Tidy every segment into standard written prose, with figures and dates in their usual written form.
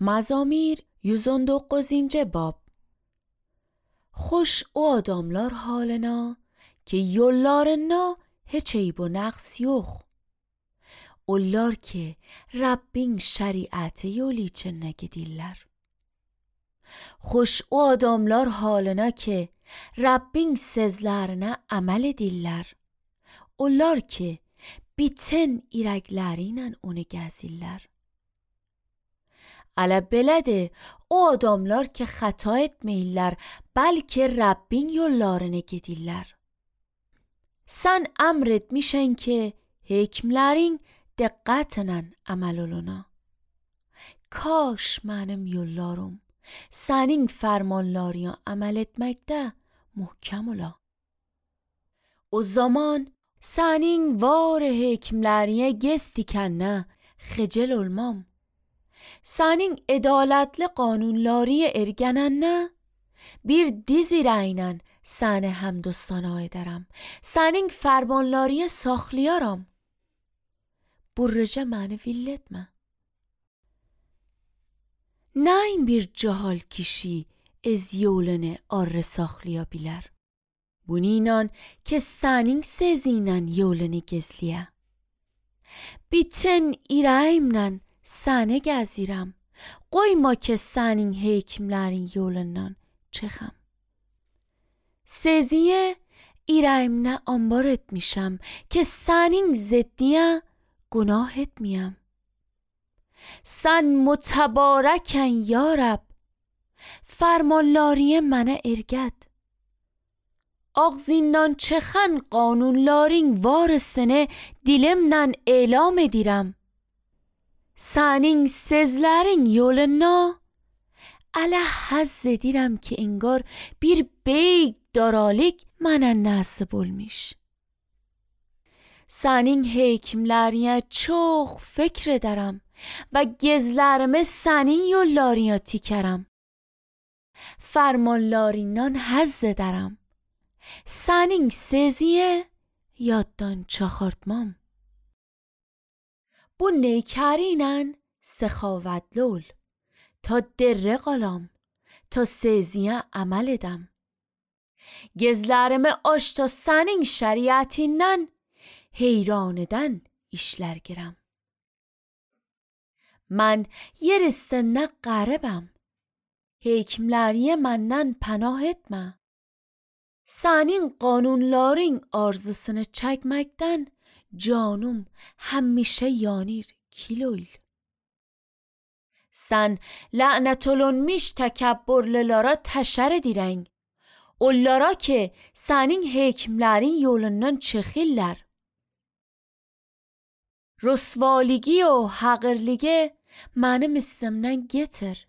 Mazamir 109. bab. Hoş o adamlar halına ki yollarına hiç eyb و naqs yok. Onlar ki Rabbin şeriatı yolu için gidirler. Hoş o adamlar halına ki Rabbin sözlerine amel edirler. Onlar ki bütün iraklarıyla onu gezirler. Ələ belədir, o adamlar ki xəta etməyirlər, bəlkə Rəbbin yollarını gedirlər. Sən əmr etmişən ki, hekmlərin diqqətlə əməl oluna. Kaş mənim yollarım sənin fərmanlarına əməl etməkdə möhkəm ola. O zaman sənin var hekmlərinə gez dikənə xəcil olmam. Sənin ədalətli qanunları ergənənə bir diz ilə səni həmd و ثنا edərəm. Sənin fərmanları saxlayaram. Burrıca məni vill etmə. Nəyin bir cahal kişi ez yolunu arı saxlaya bilər. Bununla ki sənin sözünlə yolunu gezliyə. Bütün irəyimlə səni gəzirəm. Qoyma ki sənin hekimlərin yolundan çıxam. Sözüyə irəyimlə anbar etmişəm ki sənin ziddiyə günah etməyəm. Sən mütəbarəkən ya Rəbb. Fərmanları mənə ergət. Ağzından çıxan qanunların varısını dilimlə elam edirəm. Sənin sözlərin yoluna ələ həzz edirəm ki engar bir beyg daralik mənə nəsib olmuş. Sənin hekimlərinə çox fikr edərəm və gezlərimi sənin yollarına tikərəm. Fərmanlarından həzz edərəm. Sənin sözüyə yaddan çıxartmam. Bu نیکرینن سخاوتلو ol تا dərrə qalam, ta sözüyə əməl edəm. Gözlərimi aç ta sənin şəriətindən heyran edən işlər girəm. Mən yer üstündə qəribəm. Hekimləriyə məndən pənah etmə. Sənin qanunların arzusunu çəkməkdən canım həmişə yanır kiloyl. Sən lənət olunmuş təkəbbürlülərə təşər edirən. Onlara ki sənin hekimlərin yolundan çıxırlar. Rüsvaligi و həqirligi mənim üstümdən getir.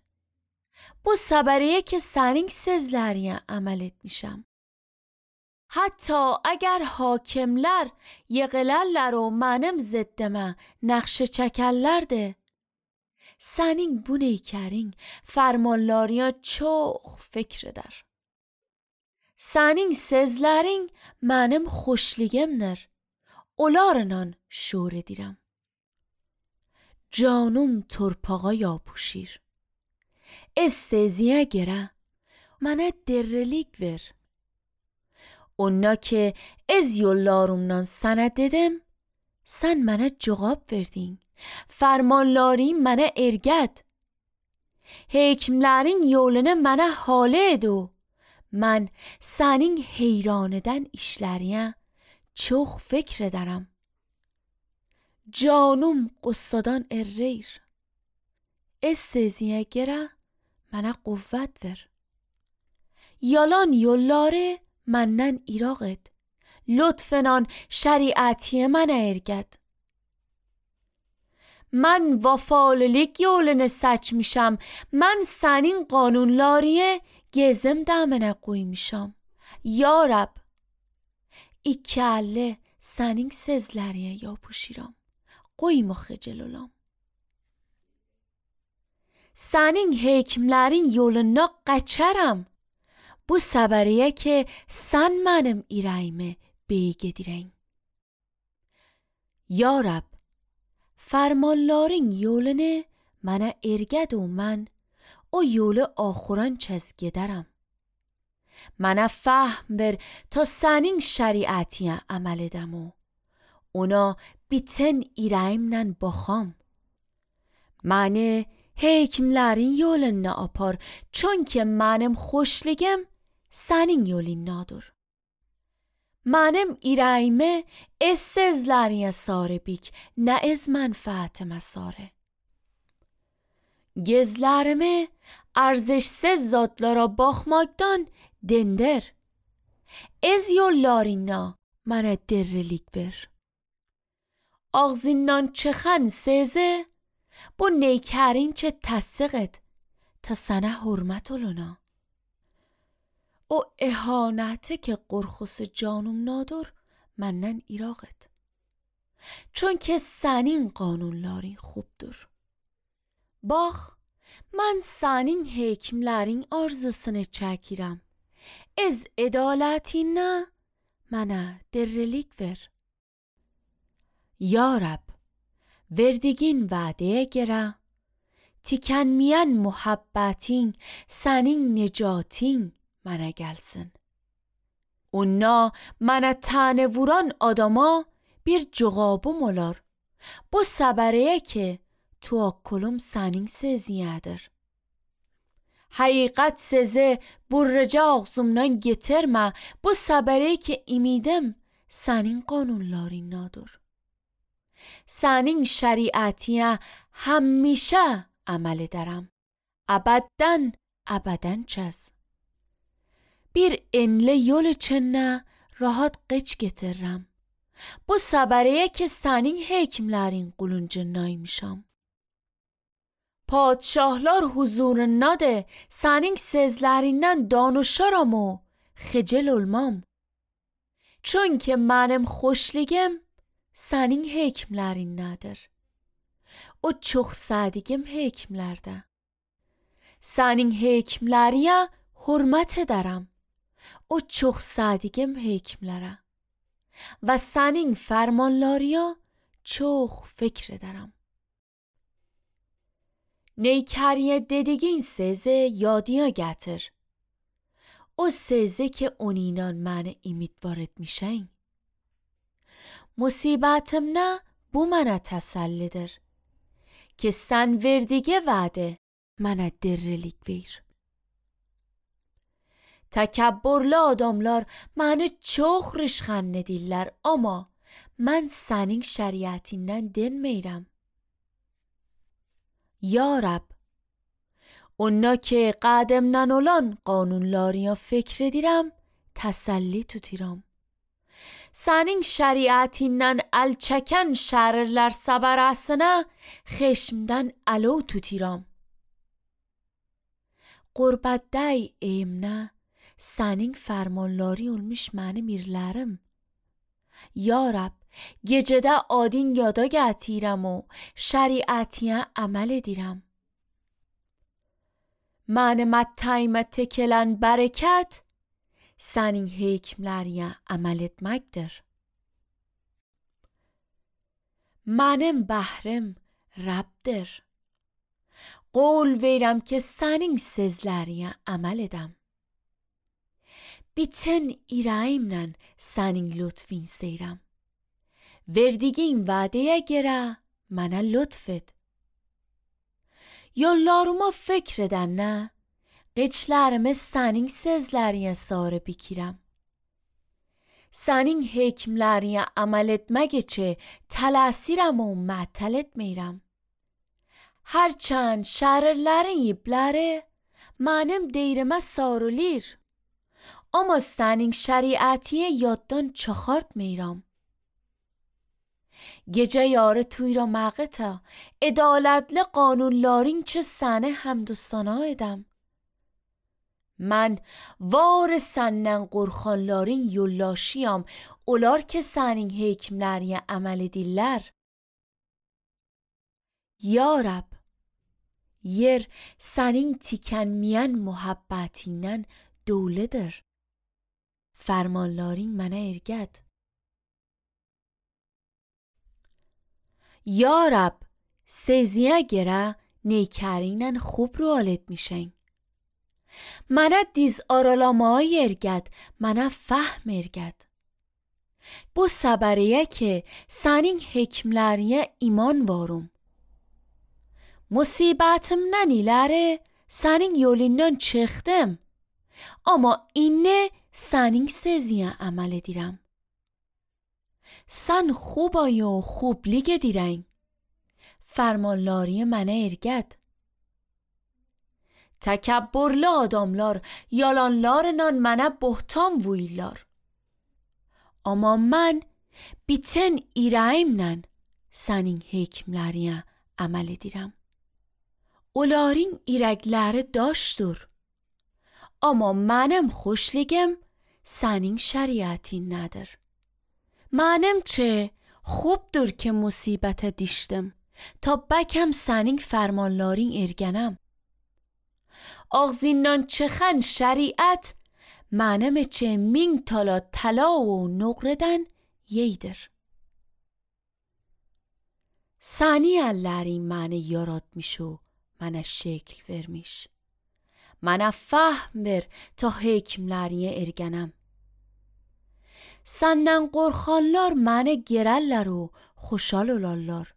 Bu səbəriyə ki sənin sözlərinə əməl etmişəm. Hatta اگر hakimlər yığılarlar و mənim ziddimə nəqşə çəkərlərdi. Sənin bu neykərin fərmanlarına çox fikr edər. Sənin sözlərin mənim xoşligimdir. Onlarla şور edirəm. Canım torpağa yapışır. Ez sözüyə görə mənə dirilik ver. Ona ki ez yollarımdan sənə dedim, sən mənə cavab verdin. Fərmanları mənə ergət. Hekimlərin yolunu mənə halə edu. Mən sənin heyran edən işlərinə çox fikr edərəm. Canım qıssadan erreyir. Ez sözüyə görə mənə quvvət ver. Yalan yolları məndən iraq et. Lütfən şəriətiyə mənə ergət. Mən vəfalılık yolunu seçmişəm. Mən sənin qanunları gezimdə mənə qoymuşam. Ya Rəbb, iki əlli sənin sözlərinə yapışıram. Qoyma xəcil olam. Sənin hekimlərin yoluna qaçarım. Bu səbəriyə ki sən mənim irəyimi beyg edirən. Ya Rəbb, fərmanların yolunu mana ergedu man o yolu ahıran çez giderim. Mana fahm ver ta senin şeriatiye amel edemu. Ona biten irayimden bakam. Mane hekimlerin yolun ne apar, çون که منم خوشligim senin yolun nadur. Manım irayime ez sezleriye saribik, ne ez menfaat mesare. Gezlerime arzışsız zatlara bakmaktan dender. Ez yollarına bana derrelik ver. Ağzından çıkan seze bu نیکرین چه تصدقت تا سنه حرمت oluna. O اهانته که قرخص جانم نادر منن ایراقت. چون که senin qanunların خوبdur. Bax, mən sənin hekimlərin arzusunu çəkirəm. Ez ədalətinə mənə dirrilik ver. Ya Rab, verdiğin vədəyə görə, tükənməyən muhabbətin, sənin necatin mənə gəlsin. Ona mənə tənə vuran adama bir cavabım olar. Bu səbəriyə ki, tuakkulum sənin seziyədir. Həqiqət sezi burraca ağzımdan getirmə, bu səbəriyə ki, imidim sənin qanunlarındadır. Sənin şəriətiyə həmişə əməl edərəm. Əbədən çəz. Bir enli yol içində rahat qeç getiririm. Bu səbəriyə ki, sənin hekimlərin quluncundaymışam. Padşahlar huzurundadır, sənin sözlərindən danışaram o xəcil olmam. Çünki mənim xoşligim sənin hekimlərindadır. O çox sədiqim hekimlərdə. Sənin hekimləriyə hürmət edərəm. O çox sədiqim hekimlərə. Və sənin fərmanlarıya çox fikr edərəm. Neykəriyə dediğin sözü yadıya gətir. O sözü ki onunla məni ümidvar etmişən. Musibətimdə bu mənə təsəllidir. Ki sən verdiği vədə mənə dirrilik ver. Təkəbbürlü adamlar məni çox rişxənd edirlər, amma mən sənin şəriətindən dinmirəm. Ya Rab, ona ki qədimdən olan qanunlarına fikr edirəm, təsəlli tuturam. Sənin şəriətindən əl çəkən şərirlər səbərəsinə xeşmdən əlo tuturam. Qurbətdəy eyimnə sənin fərmanları olmuş mənim irlərim. Ya Rab, gecədə adin yada gətirəm o şəriətiyə əməl edirəm. Mənim ətəymə tekilən bərəkət sənin hekimləriyə əməl etməkdir. Mənim bəhrim Rəbdir. Qol verirəm ki sənin sözləriyə əməl edəm. Bütün irəyimlə sənin lütfin seyrəm. Verdiğin vədəyə görə mənə lütf et. Yollarıma fikr edəndə qeçlərimi sənin sözləriyə sarı bikirəm. Sənin hekimləriyə əməl etmək üçün tələsirəm o mətəl etmirəm. Hərçənd şərirlərin ipləri mənim deyrimə sarılır. Amma sənin şəriətiyə yaddan çıxartmıram. Gecə yarı tuyra məqətə, ədalətli qanunların ki səni həmd و ثنا edəm. Mən var səndən qorxanların yollaşıyam, onlar ki sənin hekimləriyə əməl edirlər. Ya Rab, yer sənin tükənməyən muhabbətindən doludur. Fərmanların mənə ergət. Ya Rab, seziyə görə neykärinen خوب رو etmişen. Mana diz aralamaya erged, mana fahm erged. Bu sabariye ki senin hekimlerine iman varım. Musibetimden ileri senin yolundan çıktım. Ama inne senin sezine amel edirəm. Sen خوبای و خوبلیگ دیرین. Fermanlariye mənə erged. Təkəbbürlü adamlar yalanlarla mənə bohtan vuyurlar. Amma mən bütün irəyimlə sənin hekimlərinə əməl edirəm. Onların irəkləri daşdır. Amma mənim xoşligim sənin şəriətinədir. Mənim çə خوبdur ki musibətə düşdüm ta bəkəm sənin fərmanların ergənəm. Ağzından çıxan şəriət mənim üçün 1000 tala təla و nöqrədən yeydir. Səni əllərin məni yaratmış و mənə şəkil vermiş. Mənə fahm ver ta hekimlərinə ergənəm. Səndən qorxanlar məni gerəllər و xoşal olarlar.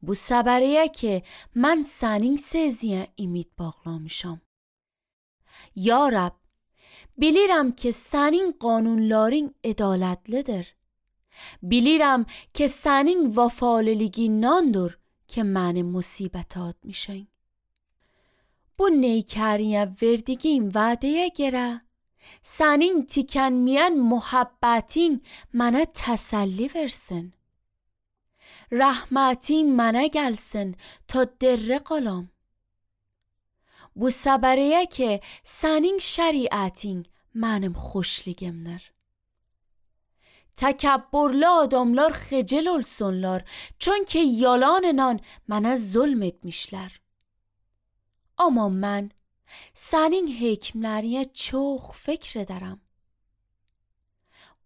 Bu səbəriyə ki mən sənin seziyə ümid bağlamışam. Ya Rab, bilirəm ki sənin qanunların ədalətlidir. Bilirəm ki sənin vəfaliliğindandır ki məni musibətə atmışın. Bu neykəriyə verdiğin vədəyə görə sənin tükənməyən muhabbətin mənə təsəlli versin. Rəhmətin mənə gəlsin ta dərrə qalam. Bu səbəriyə ki sənin şəriətin mənim xoşligimdir. Təkəbbürlü adamlar xəcil olsunlar çünki yalanla mənə zulm etmişlər. Amma mən sənin hekimlərinə çox fikr edərəm.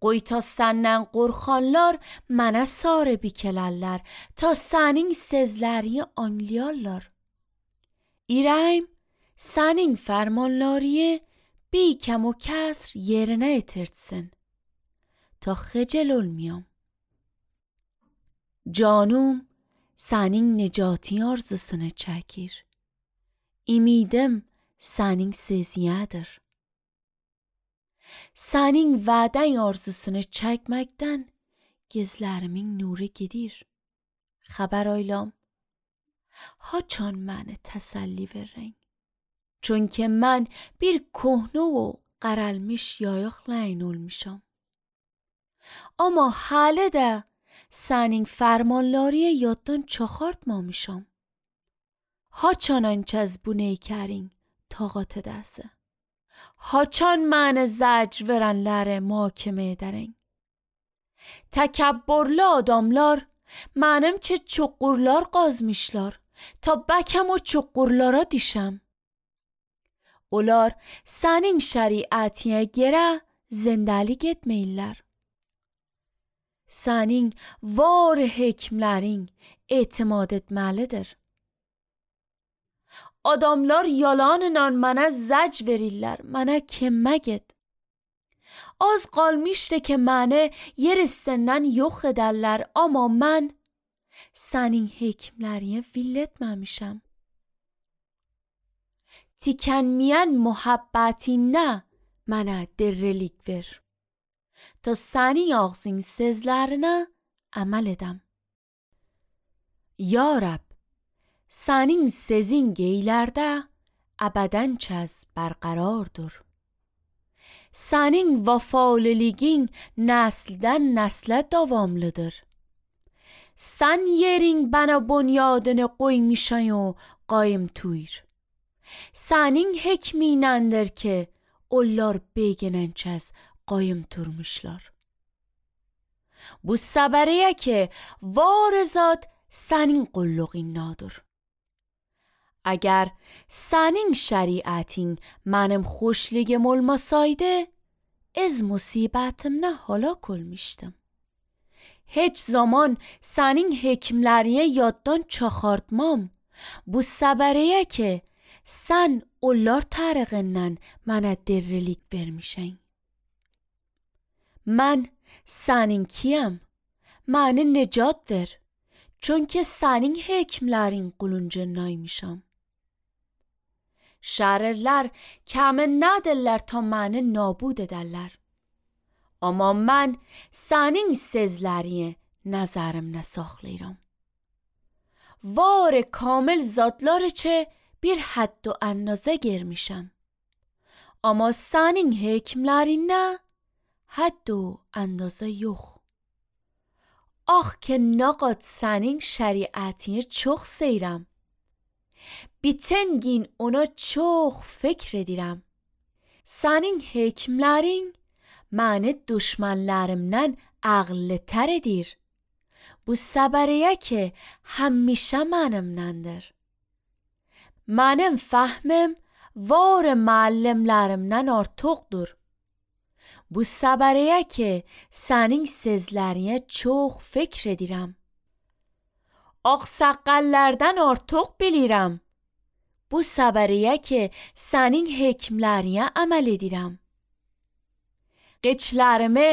Qoy ta səndən qorxanlar mənə sarı bikələrlər ta sənin sözlərini anlayarlar. İrəm sənin fərmanlarını bی kəm و kəsr yerinə yetirtsin ta xəcil olmayam. Canım sənin nicatin arzusunu çəkir. Ümidim sənin seziyədir. Sənin vədən arzusunu çəkməkdən gözlərimin nuru gedir. Xəbər aylam. Haçan məni təsəlli verin. Çünki mən bir köhnə و qaralmış yayıqla این olmuşam. Amma hələ də sənin fərmanları yaddan çıxartmamışam. Haçan anç az bu neykərin taqat edəsi. Haçan mənə zəcr verənləri mahkemə edərin. Təkəbbürlü adamlar mənim çə çuqurlar qazmışlar ta bəkəm o çuqurlara düşəm. Onlar sənin şəriətinə görə zindəlik etməyirlər. Sənin var hekimlərin etimad etməlidir. Adamlar yalanla mənə zəc verirlər, mənə kimmək et. Az qalmışdı ki məni yer üstündən yox edərlər, amma mən sənin hekimlərinə vill etməmişəm. Tükənməyən muhabbətinlə mənə dirrəlik ver. Ta sənin ağzın sözlərinə əməl edəm. Ya Rab, sənin sözün geylərdə əbədən çəz bərqərardır. Sənin vəfaliliğin nəsildən nəslə davamlıdır. Sən yerin bana bunyadını qoymuşan o qayım tuyur. Sənin hekminəndir ki, onlar beginən çəz qayım turmuşlar. Bu səbəriyə ki, var zat sənin qulluğindadır. Əgər sənin şəriətin mənim xoşligim olmasaydı, az musibətimlə halak olmuştum. Heç zaman sənin hekimlərinə yaddan çıxartmam Bu sebebiyle ki sen onlar tarafından bana dirlik vermişsin. Ben senin kiyim, bana necat ver. Çünkü senin hekimlerin quluncundaymışam. Şairler kâme nadirler ta beni nabud ederler. Ama ben senin sözlerini nəzərimdə saxlayıram. Var kamil zatları çe bir حد و اندازه girmişəm. Ama senin hekimlerine حد و اندازه yok. Ah ki naqad senin şeriatini çok seyrəm. Biten gün ona çok fikr edirəm. Senin hekimlerin məni düşmanlarımdan ağıllıtər edir. Bu səbəriyə ki həmişə mənimləndir. Mənim fəhmim var müəllimlərimdən artıqdır. Bu səbəriyə ki sənin sözlərinə çox fikr edirəm. Ağsaqqallardan artıq bilirəm. Bu səbəriyə ki sənin hekimlərinə əməl edirəm. Qeçlərimi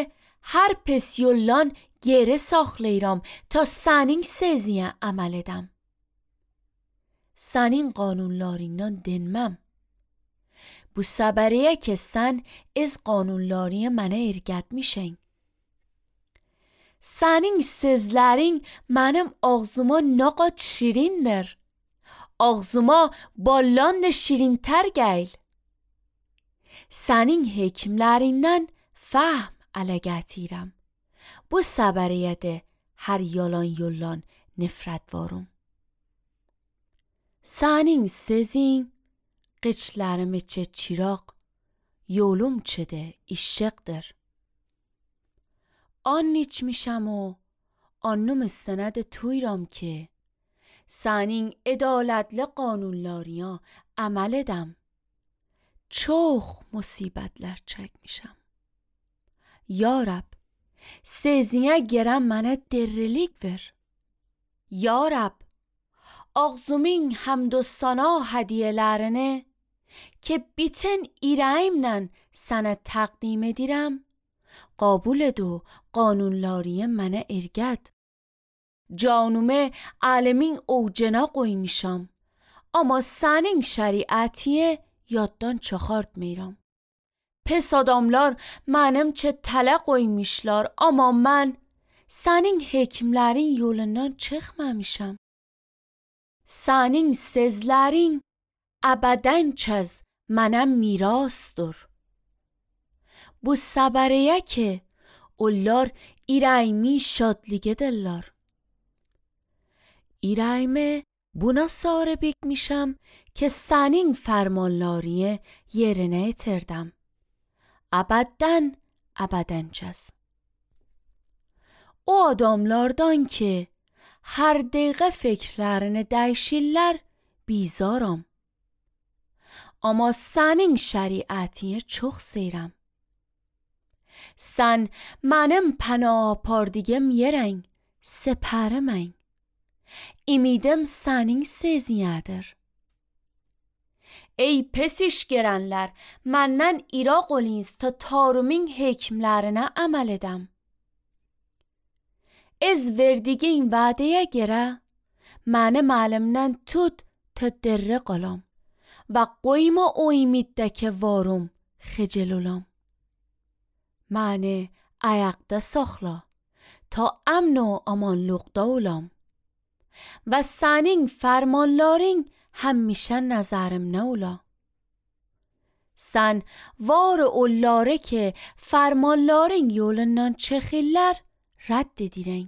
hər pis yoldan geri saxlayıram ta sənin sözünə əməl edəm. Sənin qanunlarından dinməm. Bu səbəriyə ki sən az qanunlarını mənə ergətmişsən. Sənin sözlərin mənim ağzıma naqad şirindir. Ağzıma ballan da şirintər gəl. Sənin hekimlərindən فهم ələ gətirəm. Bu səbəriyyədə hər yalan yollan nifrət varım. Sənin sözün qıçlarım içə çıraq, yolum çədə işıqdır. An içmişəm o annım istənədə tuyram ki sənin ədalətli qanunlarına əməl edəm. Çox musibətlər çəkmişəm. Ya Rab, sözünə gələn mənə dirlik ver. Ya Rab, ağzımın həmd و ثنا hədiyyələrini ki bütün ürəyimlə sənə təqdim edirəm, qəbul et و qanunları mənə ergət. Canımı alimin ovucuna qoymuşam, amma sənin şəriəti yaddan çıxartmıram. Pes adamlar mənim çə tələ qoymuşlar, amma mən sənin hekimlərin yolundan çıxmamışam. Sənin sözlərin əbədən çəz mənə mirasdır. Bu səbəriyə ki onlar irəyimi şadlıqedirlər. İrəyimi buna sahib etmişəm ki sənin fərmanlarını yerinə yetirdim. Əbədən çəz. O adamlardan ki hər dəqiqə fikirlərini dəyişirlər, bizaram. Amma sənin şəriətini çox seyrəm. Sən mənim pənah apardığım yerən, səpərimən. Ümidim sənin sözünədir. Ey pes iş görənlər, məndən iraq olunuz ta tarımın hekimlərinə əməl edəm. Ez verdiğin vədəyə görə mənim əlimdən tut ta dirri qalam və qoyma o ümiddə ki varım xəcil olam. Məni ayaqda saxla ta əmn و amanlıqda olam və sənin fərmanların həmişə nəzərimdə ola. Sən var onları ki fərmanların yolundan çıxırlar rədd edirən.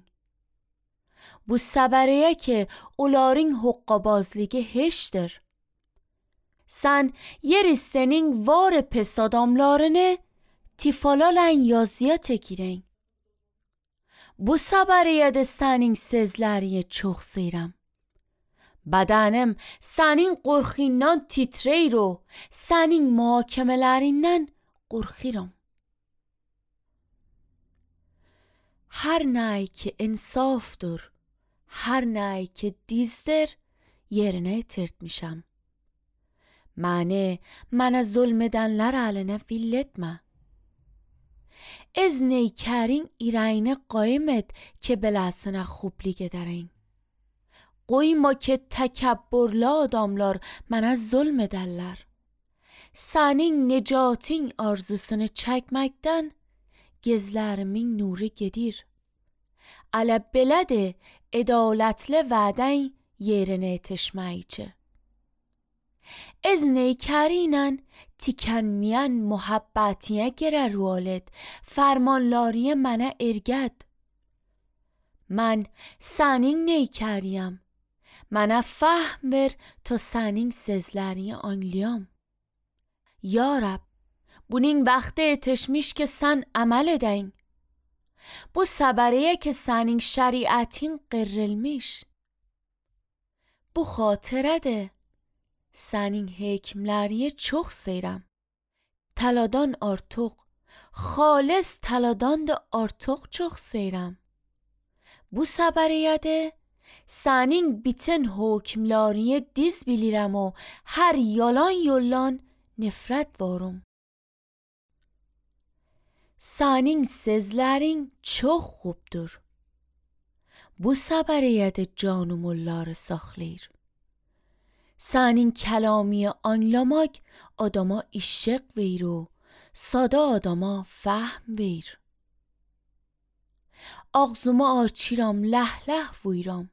Bu səbəriyə ki onların hoqqabazlığı heçdir. Sən yeri sənin var pes adamlarını tifalalən yazıya tekirən. Bu səbəriyə də sənin sözlərini çox seyrəm. Bədənim sənin qorxundan titrəyir و sənin mühakimələrindən qorxuram. Hər nəy ki insafdır, hər nəy ki dizdir, yerine tirtmişem. Mana zulmedenler haline villetme. Ez neykarin irayne قایمت که belasına خوبلیگه درین. Koyma ki tekebburlu adamlar mana zulmederler. Senin necatin arzusunu çekmekten gözlerimin nuru gedir. Ala belede edaletli veden yerine yetişmeyce. Ez neykərینən tükənməyən muhabbetiye گره رولت فرمانلاری منه ارگد. من sənin neykəriyəm. Mənə فهم ver تا sənin sözlərini anlayam. Ya Rab, bunun vaxtı yetişmiş ki sen amel edin. Bu səbəriyə ki sənin şəriətin qırılmış. Bu xatirədir. Sənin hekimləriyə çox seyrəm. Taladan artıq, xalis taladan da artıq çox seyrəm. Bu səbəriyyədir, sənin bütün hekimləriyə diz bilirəm o hər yalan yollan nifrət varım. Sənin sözlərin çox xubdur. Bu səbəriyyədir canım onları saxlayır. Sənin kəlami anlamak adama işıq verir o, sada adama فهم ver. Ağzımı açıram, ləhləh vuyuram.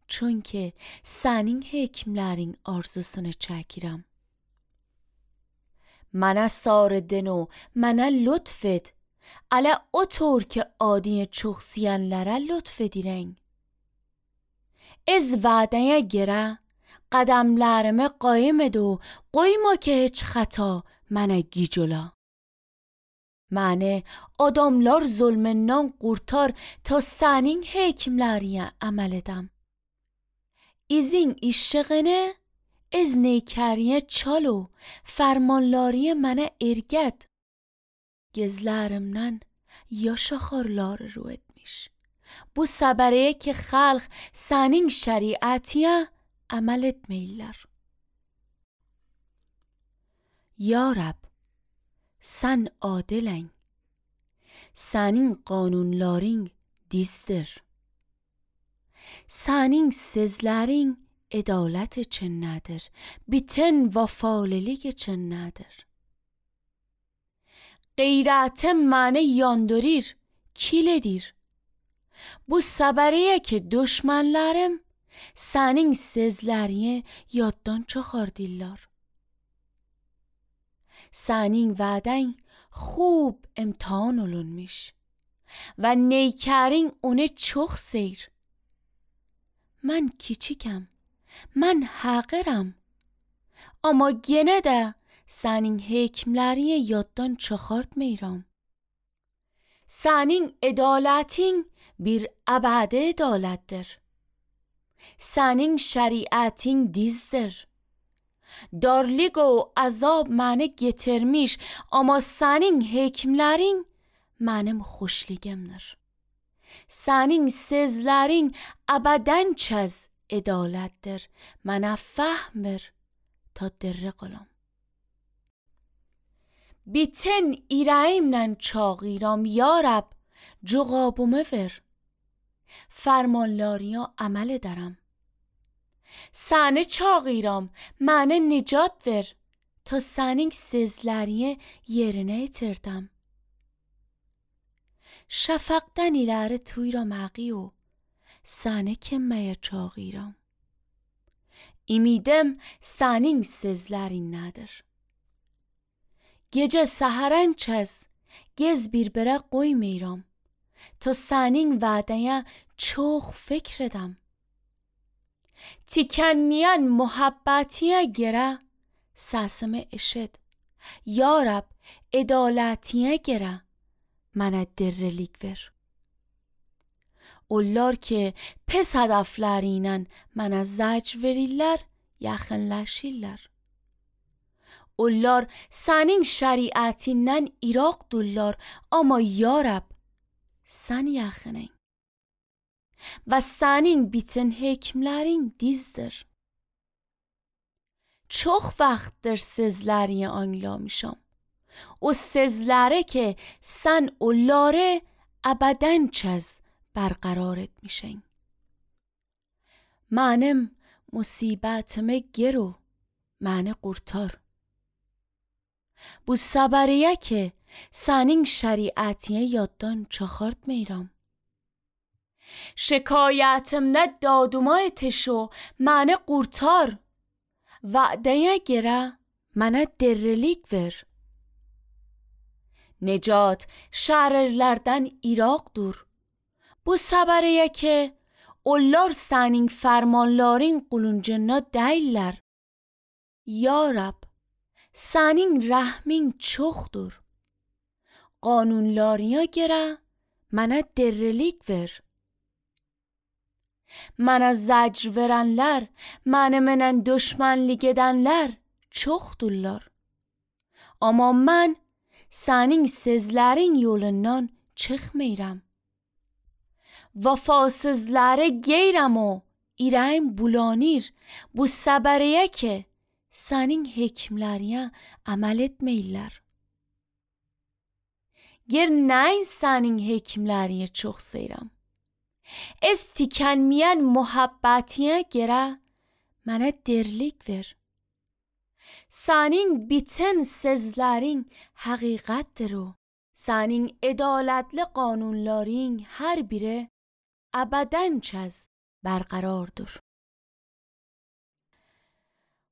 Çünki sənin hekimlərin arzusunu çəkirəm. Mənə sarıdın o, mənə lütf et. Ələ o طور که adiyə çox siyənlərə lütf edirən. Ez vədəyə görə قدمlarımı قایم edو قویما که هیچ خطا منه گیجولا. منه adamlar zulmünden kurtar ta senin hekimleriye amel edem. İzin işşiğine ez neykeriye çalo فرمانلاری منه ارگد. Gözlerimden yaş axarlar رو etmiş. Bu səbəriyə ki xalq senin şəriətiyə amel etmeyler. Ya Rab, sen adilən. Senin qanunların dizdir. Senin sözlərin ədalət üçün nədir? Bütün vəfalılık üçün nədir? Qeyrətim məni yandırır, kiledir. Bu səbəriyə ki düşmənlərim senin sözlərini yaddan çıxardılar. Senin vədən خوب امتحان olunmuş و نیکرین onu çok seyr. من kiçikəm, mən həqirəm. Amma gene də sənin hekimlərini yaddan çıxartmıram. Sənin ədalətin bir əbədi ədalətdir. Sənin şəriətin dizdir. Darlıq o azab məni getirmiş, amma sənin hekimlərin mənim xoşluğumdur. Sənin sözlərin əbədən çəz ədalətdir. Mənə فهم ver ta dirri qılam. Bütün irəyimlə çağıram, ya Rab, cavabımı ver. Fərmanlarına əməl edərəm. Səni çağıram, mənə nicat ver ta sənin sözlərini yerinə yetirdim. Şəfəqdən iləri tuyram əqiyo, səni kimməyə çağıram. İmidim sənin sözlərinədir. Gecə səhərən çəz, gez bir-birə qoymayram ta sənin vədəyə çox fikr edəm. Tükənməyən muhabbetiyə görə səsimi eşit. Ya Rab, ədalətiyə görə mənə dirrilik ver. Onlar ki pes hədəfləriylə mənə zəcr verirlər, yaxınlaşırlar. Onlar sənin şəriətindən iraqdırlar, amma ya Rab, sən yaxının. Və sənin bütün hekimlərin dizdir. çok vaxtdır sizləri anlamışam. O sizləri ki sen onları abadan çez برقرار etmişsin. Mənim musibətimi gero, məni qurtar. Bu səbəriyə ki sənin şəriətiyə yaddan çıxartmayıram. Şikayətimdə dadıma yetiş o məni qurtar. Vədəyə görə mənə dirilik ver. Necat şərirlərdən İraqdır. Bu səbəriyə ki onlar sənin fərmanların quluncuna deyirlər. Ya Rab, sənin rəhmin çoxdur. Qanunlarına görə mənə dirilik ver. Mənə zəcr verənlər, mənimlə düşmənlik edənlər çoxdurlar. Amma mən sənin sözlərin yolundan çıxmıram. Vəfasızları geyrəm o irəm bulanır. Bu səbəriyə ki sənin hekimlərinə əməl etməyirlər. Ger nəyin sənin hekimlərinə çox seyirəm. Ez tükənməyən muhabbətinə görə mənə dirilik ver. Sənin bütün sözlərin həqiqətdir o. Sənin ədalətli qanunların hər biri əbədən çəz bərqərardır.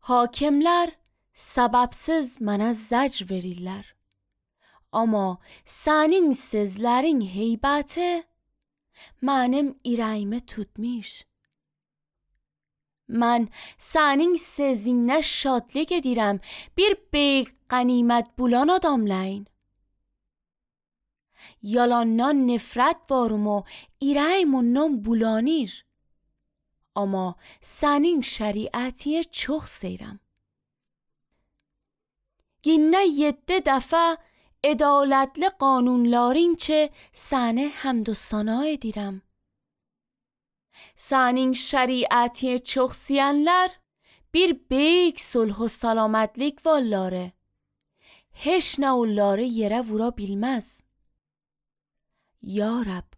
Hakimlər səbəbsiz mənə zəcr verirlər. Amma sənin sözlərin heybəti mənim ürəyimi tutmuş. Mən sənin sözünə şadlıq edirəm. Bir böyük qənimət bulan adamlayın. Yalandan nifrət varım o ürəyim ondan bulanır. Amma sənin şəriətiyə çox seyirəm. Günə 7 dəfə ədalətli qanunların ki səni həmd و ثنا edirəm. Sənin şəriətiyə çox seyənlər bir böyük sulh و salamatlik varları. Heç nə onları yerə vura bilməz. Ya Rab,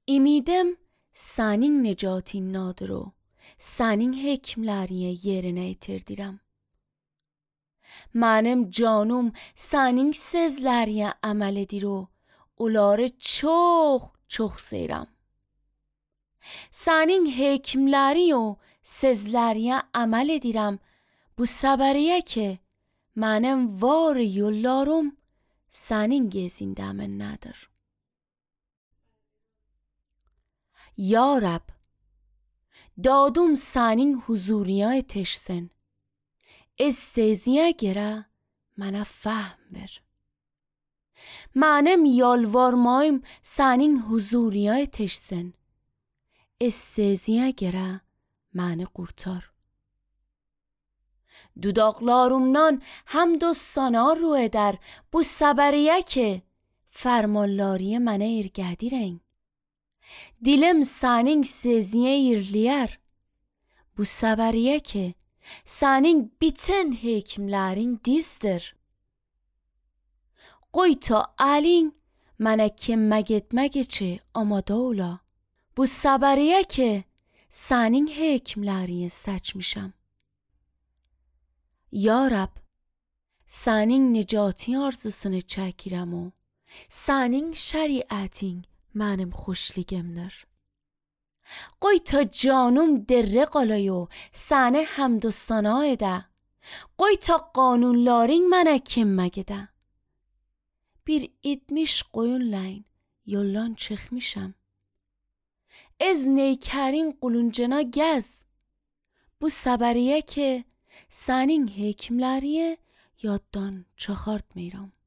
ümidim sənin necatindadır o sənin hekimlərinə yerinə yetirdirəm. Mənim canım sənin sözlərinə əməl edir o onları çox seyirəm. Sənin hekimləri o sözlərinə əməl edirəm. Bu səbəriyə ki mənim var yollarım sənin gezindəminədir. Ya Rab, dadım sənin huzuruna yetişsin. Ez seziyyə görə mənə fəhm ver. Mənim yalvarmayım sənin huzuruna yetişsin. Ez seziyyə görə məni qurtar. Dudaqlarımdan həmd و ثنا رو edər. Bu səbəriyə ki fərmanları mənə ergədirən. Dilim sənin seziyyə irliyər. Bu səbəriyə ki sənin bütün hekimlərin dizdir. Qoy ta əlin mənə kömək etmək üçün amada ola. Bu səbəriyə ki sənin hekimlərini seçmişəm. Ya Rab, sənin nicati arzusunu çəkirəm o sənin şəriətin mənim xoşluğumdur. Qoy ta canım derre qalay o səni həmd و ثنا edə. Qoy ta qanunların mənə kömək edə. Bir 70 qoyunlayn yoldan çıxmışam. Ez neykərin quluncuna gəz. Bu səbəriyə ki sənin hekimlərini yaddan çıxartmıram.